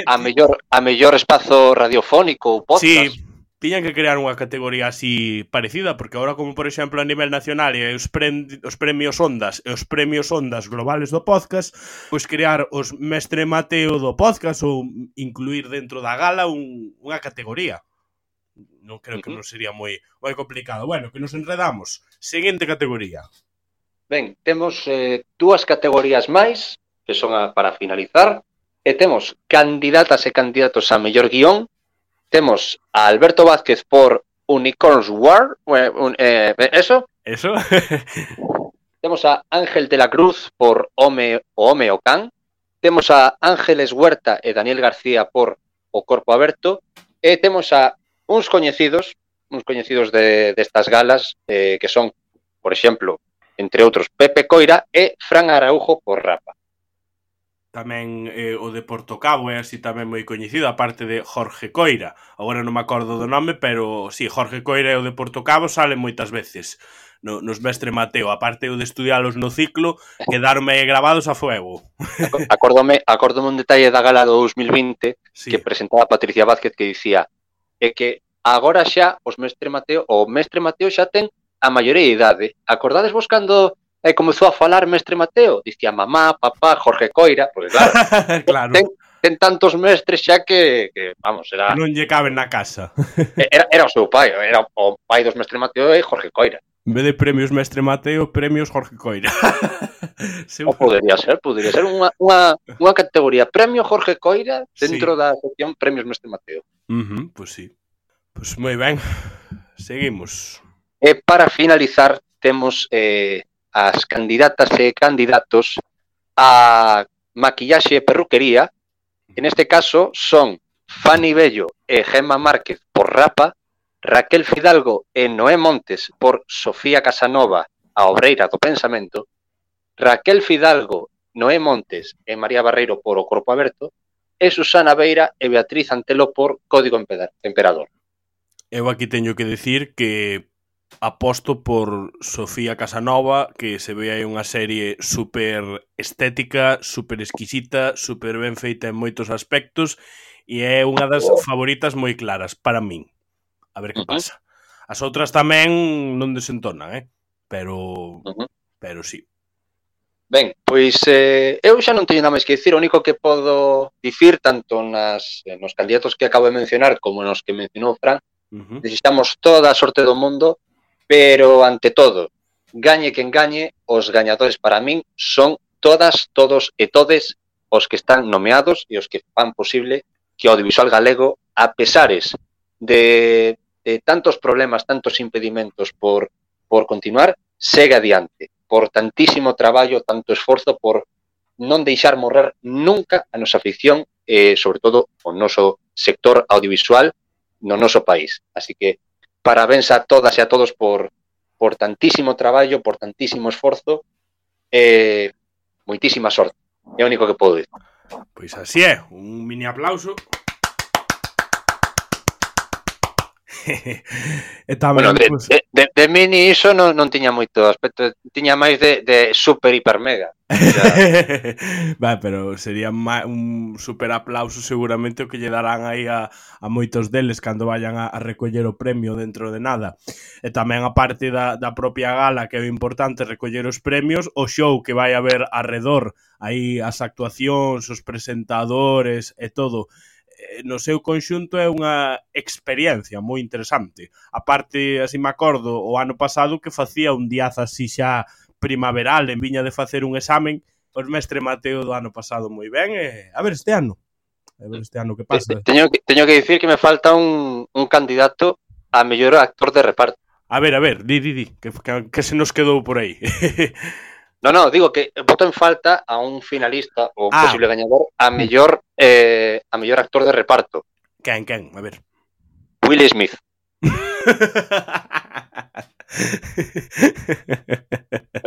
A mellor espazo radiofónico ou podcast. Sí, tiñan que crear unha categoría así parecida, porque agora, como por exemplo a nivel nacional e os premios Ondas e os premios Ondas globales do podcast, pois crear os Mestre Mateo do podcast ou incluir dentro da gala unha categoría. Non creo que non sería moi complicado. Bueno, que nos enredamos. Seguinte categoría. Ben, temos dúas categorías máis, que son para finalizar, e temos candidatas e candidatos a mellor guión. Temos a Alberto Vázquez por Unicorns War, eso. Temos a Ángel de la Cruz por Home o Can. Temos a Ángeles Huerta e Daniel García por O Corpo Aberto. E temos a uns coñecidos destas galas, que son, por exemplo, entre outros, Pepe Coira e Fran Araujo por Rapa. Tamén o de Portocabo é así tamén moi coñecido, aparte de Jorge Coira. Agora non me acordo do nome, pero sí, Jorge Coira e o de Portocabo salen moitas veces nos Mestre Mateo. Aparte o de estudialos no ciclo, quedaronme grabados a fuego. Acórdome un detalle da gala do 2020, sí, que presentaba Patricia Vázquez, que dicía que agora xa o Mestre Mateo xa ten a maioría de idade. Acordades vos cando comezou a falar Mestre Mateo? Dicía mamá, papá, Jorge Coira, porque claro, ten tantos mestres xa que vamos, era... Non lle caben na casa. Era o seu pai, era o pai dos Mestre Mateo e Jorge Coira. En vez de premios Mestre Mateo, premios Jorge Coira. Podería ser unha categoría premio Jorge Coira dentro da sección premios Mestre Mateo. Pois sí. Pois moi ben. Seguimos. E para finalizar temos as candidatas e candidatos a maquillaxe e perruquería. En este caso son Fanny Bello e Gemma Márquez por Rapa, Raquel Fidalgo e Noé Montes por Sofía Casanova, a obreira do pensamento, Raquel Fidalgo, Noé Montes e María Barreiro por O Corpo Aberto, e Susana Beira e Beatriz Antelo por Código Emperador. Eu aquí teño que decir que aposto por Sofía Casanova, que se ve aí unha serie super estética, super exquisita, super ben feita en moitos aspectos, e é unha das favoritas moi claras para min. A ver que pasa. As outras tamén non desentonan, pero sí. Ben, pois eu xa non teño nada máis que dicir. O único que podo dicir, tanto nos candidatos que acabo de mencionar como nos que mencionou Fran, desexamos toda a sorte do mundo, pero ante todo, gañe quen gañe, os gañadores para min son todas, todos e todes os que están nomeados e os que fan posible que o audiovisual galego, a pesares de tantos problemas, tantos impedimentos por continuar, segue adiante, por tantísimo traballo, tanto esforzo, por non deixar morrer nunca a nosa ficción, sobre todo o noso sector audiovisual no noso país. Así que parabéns a todas e a todos por tantísimo traballo, por tantísimo esforzo, moitísima sorte. É o único que podo dicir. Pois así é, un mini aplauso. E tamén, Bueno, de mini iso non tiña moito aspecto, tiña máis de super hiper mega. Va, pero sería un super aplauso seguramente o que lle darán aí a moitos deles cando vayan a recoller o premio dentro de nada. E tamén a parte da propia gala, que é importante recoller os premios, o show que vai haber arredor, aí as actuacións, os presentadores e todo, no seu conxunto é unha experiencia moi interesante. A parte, así me acordo, o ano pasado que facía un diaz así xa primaveral, en viña de facer un examen, os mestre Mateo do ano pasado moi ben, e a ver este ano que pasa. Teño que dicir que me falta un candidato a mellor actor de reparto. A ver, di, que se nos quedou por aí. No, digo que voto en falta a un finalista ou un posible gañador a mellor actor de reparto. Quen? A ver. Will Smith.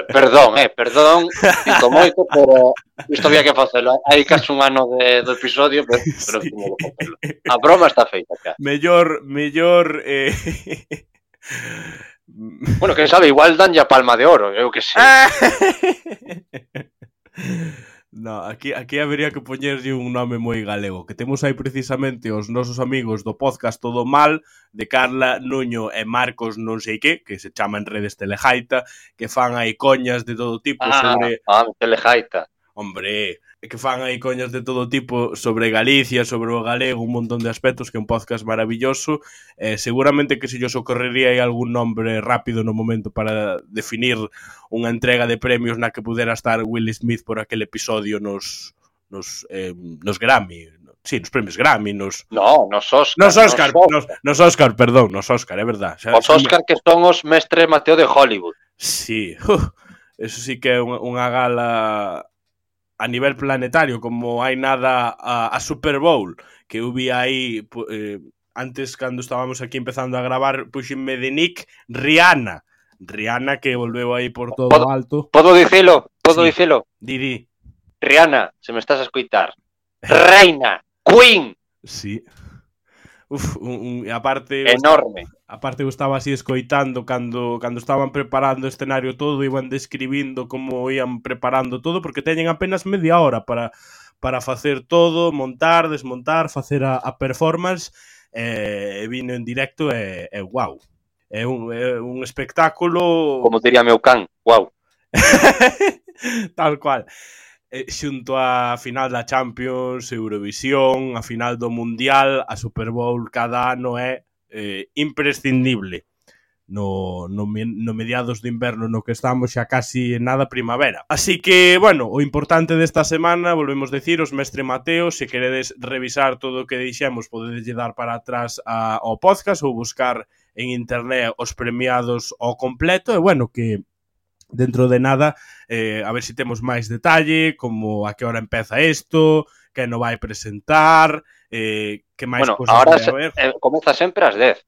Perdón, sinto moito, pero isto había que facelo. Hai casi un ano do episodio, pero sí. Como facelo. A broma está feita, cara. Mellor Bueno, quen sabe, igual dan ya palma de oro, eu que sei. No, aquí habería que poñerlle un nome moi galego, que temos aí precisamente os nosos amigos do podcast Todo Mal, de Carla, Nuño e Marcos non sei que se chama en redes Telejaita, que fan aí coñas de todo tipo sobre... Telejaita. Hombre, que fan aí coñas de todo tipo sobre Galicia, sobre o galego, un montón de aspectos, que é un podcast maravilloso. Seguramente que se lles ocorrería aí algún nombre rápido no momento para definir unha entrega de premios na que pudera estar Will Smith por aquel episodio nos Grammy. Sí, nos premios Grammy, nos Oscar, é verdad. Os Oscar que son os mestre Mateo de Hollywood. Sí, eso sí que é unha gala a nivel planetario, como hai nada a Super Bowl, que eu vi aí antes, cando estábamos aquí empezando a gravar, puxenme de nick Rihanna, que volveu aí por todo o alto. Podo dicilo? Di. Rihanna, se me estás a escoitar. Reina, Queen. Sí. Aparte enorme. Aparte eu estaba así escoitando cando estaban preparando o escenario todo, iban describindo como ian preparando todo, porque teñen apenas media hora para facer todo, montar, desmontar, facer a performance, e vino en directo e wow. É un espectáculo... Como diría meu can, wow. Tal cual. Xunto a final da Champions, Eurovisión, a final do Mundial, a Super Bowl cada ano é imprescindible no mediados de inverno no que estamos xa casi en nada primavera. Así que, bueno, o importante desta semana, volvemos decir, os mestre Mateo, se queredes revisar todo o que deixemos, podedes dar para atrás ao podcast ou buscar en internet os premiados ao completo, e bueno, que dentro de nada, a ver se temos máis detalle, como a que hora empeza isto, que non vai presentar, que máis cosas ahora vai haber. Comeza sempre ás 10.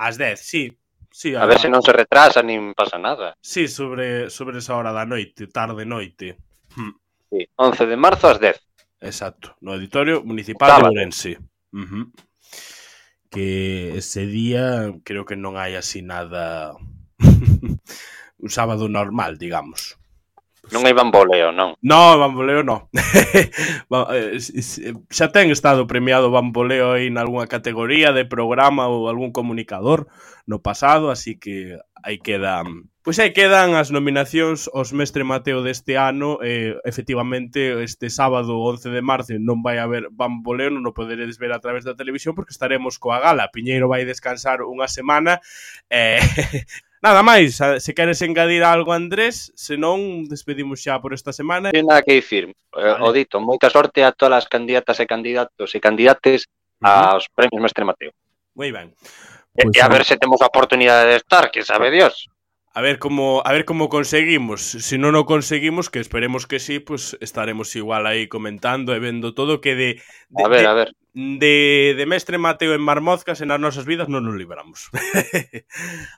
Ás 10, sí. A ver se non se retrasa nin pasa nada. Sí, sobre esa hora da noite, tarde-noite. Sí, 11 de marzo ás 10. Exacto, no Auditorio Municipal de Ourense. Que ese día creo que non hai así nada... un sábado normal, digamos. Non hai bamboleo, non? No, bamboleo non. Xa ten estado premiado bamboleo aí nalgúna categoría de programa ou algún comunicador no pasado, así que aí quedan... Pois aí quedan as nominacións aos mestre Mateo deste ano. Efectivamente, este sábado 11 de marzo non vai haber bamboleo, non o poderedes ver a través da televisión porque estaremos coa gala. Piñeiro vai descansar unha semana nada máis, se queres engadir algo, Andrés, senón despedimos xa por esta semana. Non hai nada que dicir, vale. O dito, moita sorte a todas as candidatas e candidatos e candidates aos premios Mestre Mateo. Moi ben. E a ver se temos a oportunidade de estar, que sabe Dios. A ver como conseguimos. Se non o conseguimos, que esperemos que sí, pues estaremos igual aí comentando e vendo todo que de Mestre Mateo en Marmozcas en as nosas vidas non nos libramos.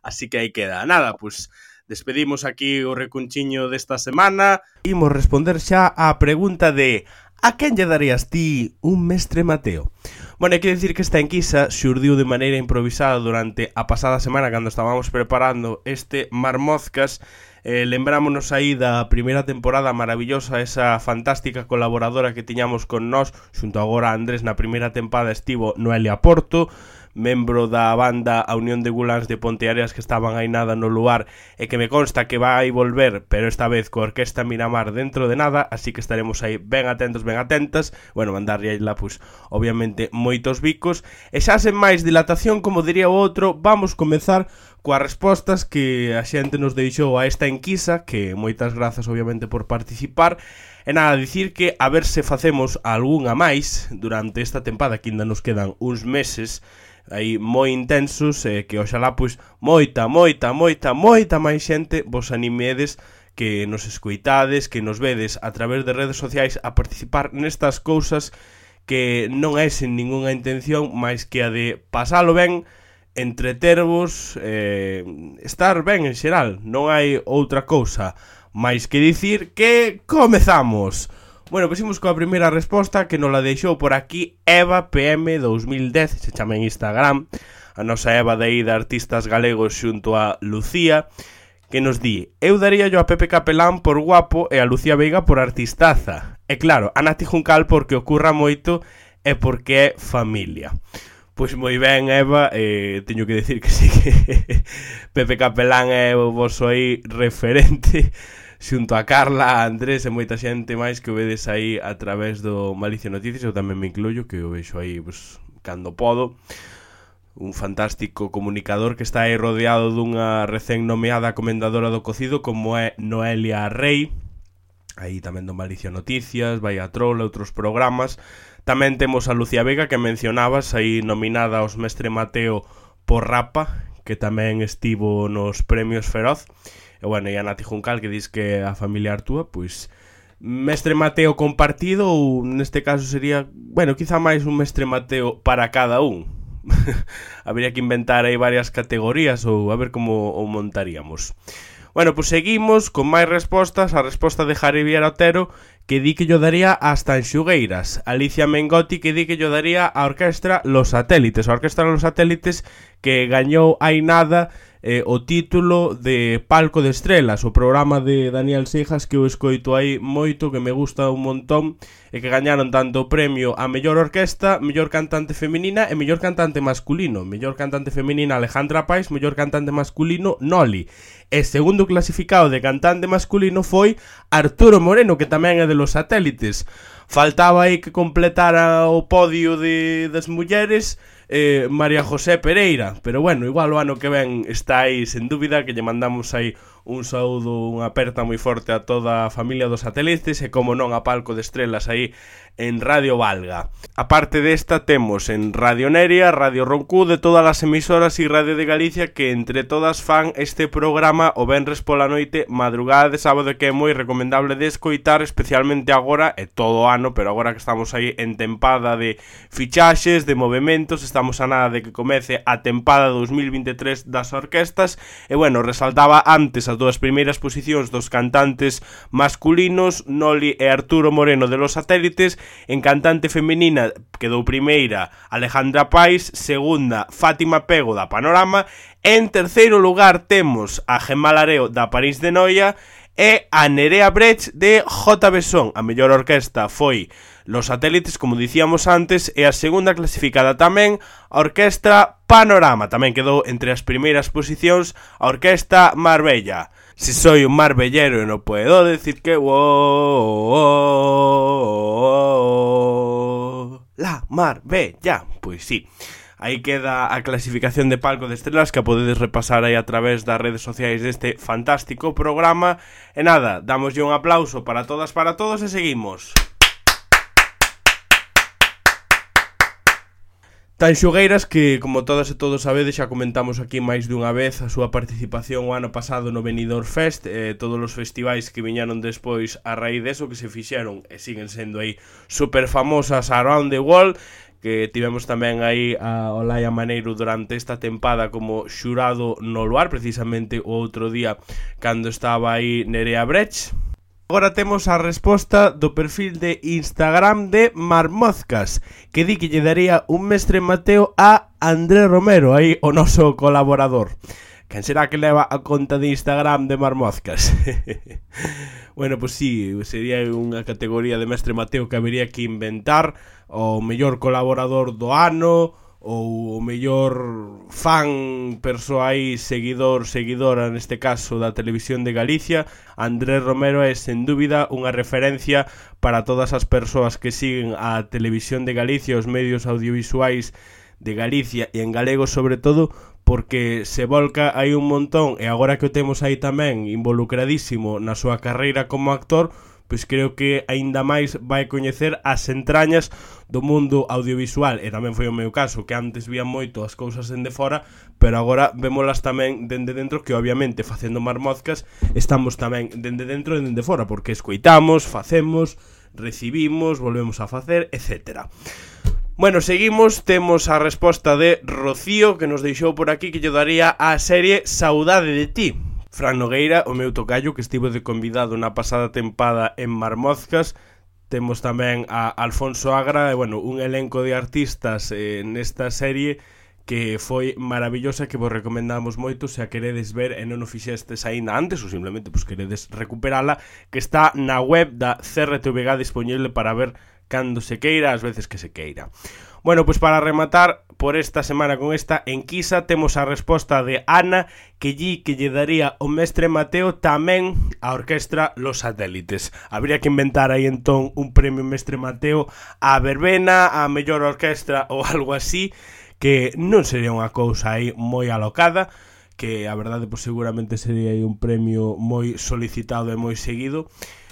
Así que aí queda. Nada, pues despedimos aquí o recunchiño desta semana. Imos responder xa á pregunta de a quen lle darías ti un Mestre Mateo? Bueno, hai que dicir que esta enquisa xurdiu de maneira improvisada durante a pasada semana cando estábamos preparando este Marmozcas. Lembrámonos aí da primeira temporada maravillosa, esa fantástica colaboradora que tiñamos con nós, xunto agora a Andrés na primeira tempada estivo Noelia Porto, membro da banda A Unión de Guláns de Ponteareas que estaban aí nada no lugar e que me consta que vai volver, pero esta vez coa Orquesta Miramar dentro de nada, así que estaremos aí ben atentos, ben atentas. Bueno, mandarlle aí lá, pues, obviamente, moitos bicos. E xa sen máis dilatación, como diría o outro, vamos comezar coas respostas que a xente nos deixou a esta enquisa, que moitas grazas, obviamente, por participar. E nada, dicir que a ver se facemos algunha máis durante esta tempada, que ainda nos quedan uns meses aí moi intensos, que oxalá pois moita máis xente vos animedes, que nos escoitades, que nos vedes a través de redes sociais a participar nestas cousas que non é sen ningunha intención máis que a de pasalo ben, entretervos, estar ben en xeral. Non hai outra cousa máis que dicir que comezamos. Bueno, pues imos coa primeira resposta que nos la deixou por aquí Eva PM 2010, se chama en Instagram, a nosa Eva de aí de Artistas Galegos xunto a Lucía, que nos di: eu daría yo a Pepe Capelán por guapo e a Lucía Veiga por artistaza. E claro, a Nati Juncal porque ocurra moito e porque é familia. Pois moi ben, Eva, teño que decir que sí que Pepe Capelán é o vosso aí referente, xunto a Carla, a Andrés e moita xente máis que o vedes aí a través do Malicia Noticias. Eu tamén me incluyo, que o vexo aí pues, cando podo. Un fantástico comunicador que está aí rodeado dunha recén nomeada comendadora do cocido como é Noelia Rey. Aí tamén do Malicia Noticias, vai a Troll, outros programas. Tamén temos a Lucía Vega, que mencionabas, aí nominada aos Mestre Mateo por Rapa, que tamén estivo nos premios Feroz. E bueno, e a Nati Juncal, que dis que a familia Artúa, pois Mestre Mateo compartido, ou neste caso sería, bueno, quizá máis un Mestre Mateo para cada un. Habría que inventar aí varias categorías ou a ver como o montaríamos. Bueno, pois seguimos con máis respostas. A resposta de Javier Otero, que di que yo daría as Tanxugueiras. Alicia Mengoti, que di que yo daría a Orquestra Los Satélites. A Orquestra Los Satélites que gañou hai nada o título de Palco de Estrelas, o programa de Daniel Seijas, que eu escoito aí moito, que me gusta un montón, e que gañaron tanto o premio a mellor orquesta, mellor cantante feminina e mellor cantante masculino. Mellor cantante feminina Alejandra Pais, mellor cantante masculino Noli. E segundo clasificado de cantante masculino foi Arturo Moreno, que tamén é de Los Satélites. Faltaba aí que completara o podio das mulleres María José Pereira, pero bueno, igual o ano que ven está aí sen dúbida, que lle mandamos aí un saúdo, unha aperta moi forte a toda a familia dos Satélites e como non a Palco de Estrelas aí en Radio Valga. A parte desta temos en Radio Neria, Radio Roncú, de todas as emisoras e Radio de Galicia, que entre todas fan este programa o venres pola noite, madrugada de sábado, que é moi recomendable de escoitar, especialmente agora e todo o ano, pero agora que estamos aí en tempada de fichaxes, de movementos, estamos a nada de que comece a tempada 2023 das orquestas. E bueno, resaltaba antes as dúas primeiras posicións dos cantantes masculinos, Noli e Arturo Moreno de Los Satélites. En cantante femenina quedou primeira Alejandra Pais, segunda Fátima Pego da Panorama, en terceiro lugar temos a Gemma Lareo da París de Noia e a Nerea Brecht de JB Son. A mellor orquesta foi Los Satélites, como dicíamos antes, e a segunda clasificada tamén a Orquestra Panorama. Tamén quedou entre as primeiras posicións a Orquesta Marbella. Si soy un marbellero no puedo decir que la Marbella. Pois sí, aí queda a clasificación de Palco de Estrelas, que a podedes repasar aí a través das redes sociais deste fantástico programa. E nada, damoslle un aplauso para todas, para todos e seguimos. Tan xogueiras que, como todas e todos sabedes, xa comentamos aquí máis dunha vez a súa participación o ano pasado no Benidorm Fest, todos os festivais que viñaron despois a raíz deso que se fixeron e siguen sendo aí super famosas around the world, que tivemos tamén aí a Olaia Maneiro durante esta tempada como xurado no luar, precisamente o outro día cando estaba aí Nerea Brecht. Agora temos a resposta do perfil de Instagram de Marmozcas, que di que lle daría un mestre Mateo a Andrés Romero, aí o noso colaborador. Quen será que leva a conta de Instagram de Marmozcas? Bueno, pois sí, sería unha categoría de mestre Mateo que habería que inventar, o mellor colaborador do ano, ou o mellor fan, persoa aí, seguidora neste caso da Televisión de Galicia. Andrés Romero é sen dúbida unha referencia para todas as persoas que siguen a Televisión de Galicia, os medios audiovisuais de Galicia e en galego sobre todo, porque se volca aí un montón e agora que o temos aí tamén involucradísimo na súa carreira como actor, pois creo que aínda máis vai coñecer as entrañas do mundo audiovisual, e tamén foi o meu caso, que antes vía moito as cousas dende fora, pero agora vémolas tamén dende dentro, que obviamente facendo Marmozcas estamos tamén dende dentro e dende fora, porque escoitamos, facemos, recibimos, volvemos a facer, etc. Bueno, seguimos, temos a resposta de Rocío, que nos deixou por aquí, que lle daría a serie Saudade de ti. Fran Nogueira, o meu tocayo, que estivo de convidado na pasada tempada en Marmozcas. Temos tamén a Alfonso Agra, e, bueno, un elenco de artistas nesta serie que foi maravillosa, que vos recomendamos moito se a queredes ver e non o fixestes aínda antes, ou simplemente pues, queredes recuperala, que está na web da CRTVG disponible para ver cando se queira, as veces que se queira. Bueno, pois para rematar por esta semana con esta enquisa, temos a resposta de Ana, que lle daría o mestre Mateo tamén a orquestra Los Satélites. Habría que inventar aí entón un premio mestre Mateo a verbena, a mellor orquestra ou algo así, que non sería unha cousa aí moi alocada, que a verdade pois seguramente sería aí un premio moi solicitado e moi seguido.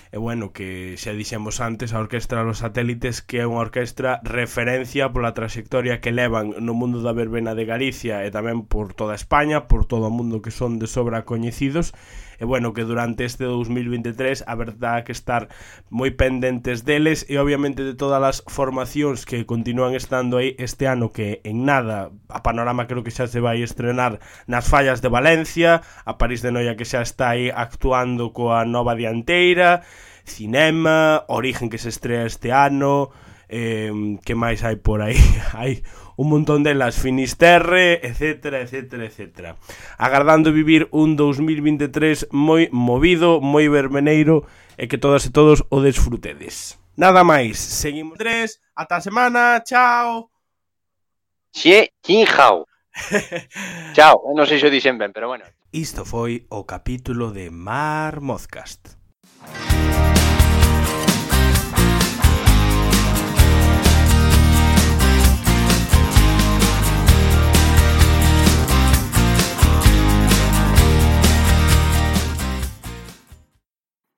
E bueno, que xa dixemos antes, a Orquestra Los Satélites, que é unha orquestra referencia pola trayectoria que levan no mundo da verbena de Galicia e tamén por toda España, por todo o mundo, que son de sobra coñecidos. E bueno, que durante este 2023 a verdade que estar moi pendentes deles e obviamente de todas as formacións que continúan estando aí este ano, que en nada a Panorama creo que xa se vai estrenar nas Fallas de Valencia, a París de Noia que xa está aí actuando coa nova dianteira, Cinema, Origen que se estrea este ano, que máis hai por aí? Hai un montón delas, Finisterre, etcétera, etcétera, etcétera. Agardando vivir un 2023 moi movido, moi vermeneiro, e que todas e todos o desfrutedes. Nada máis, seguimos 3, ata a semana, chao. Chao. Chao, non sei se o dixen ben, pero bueno. Isto foi o capítulo de Marmozcast.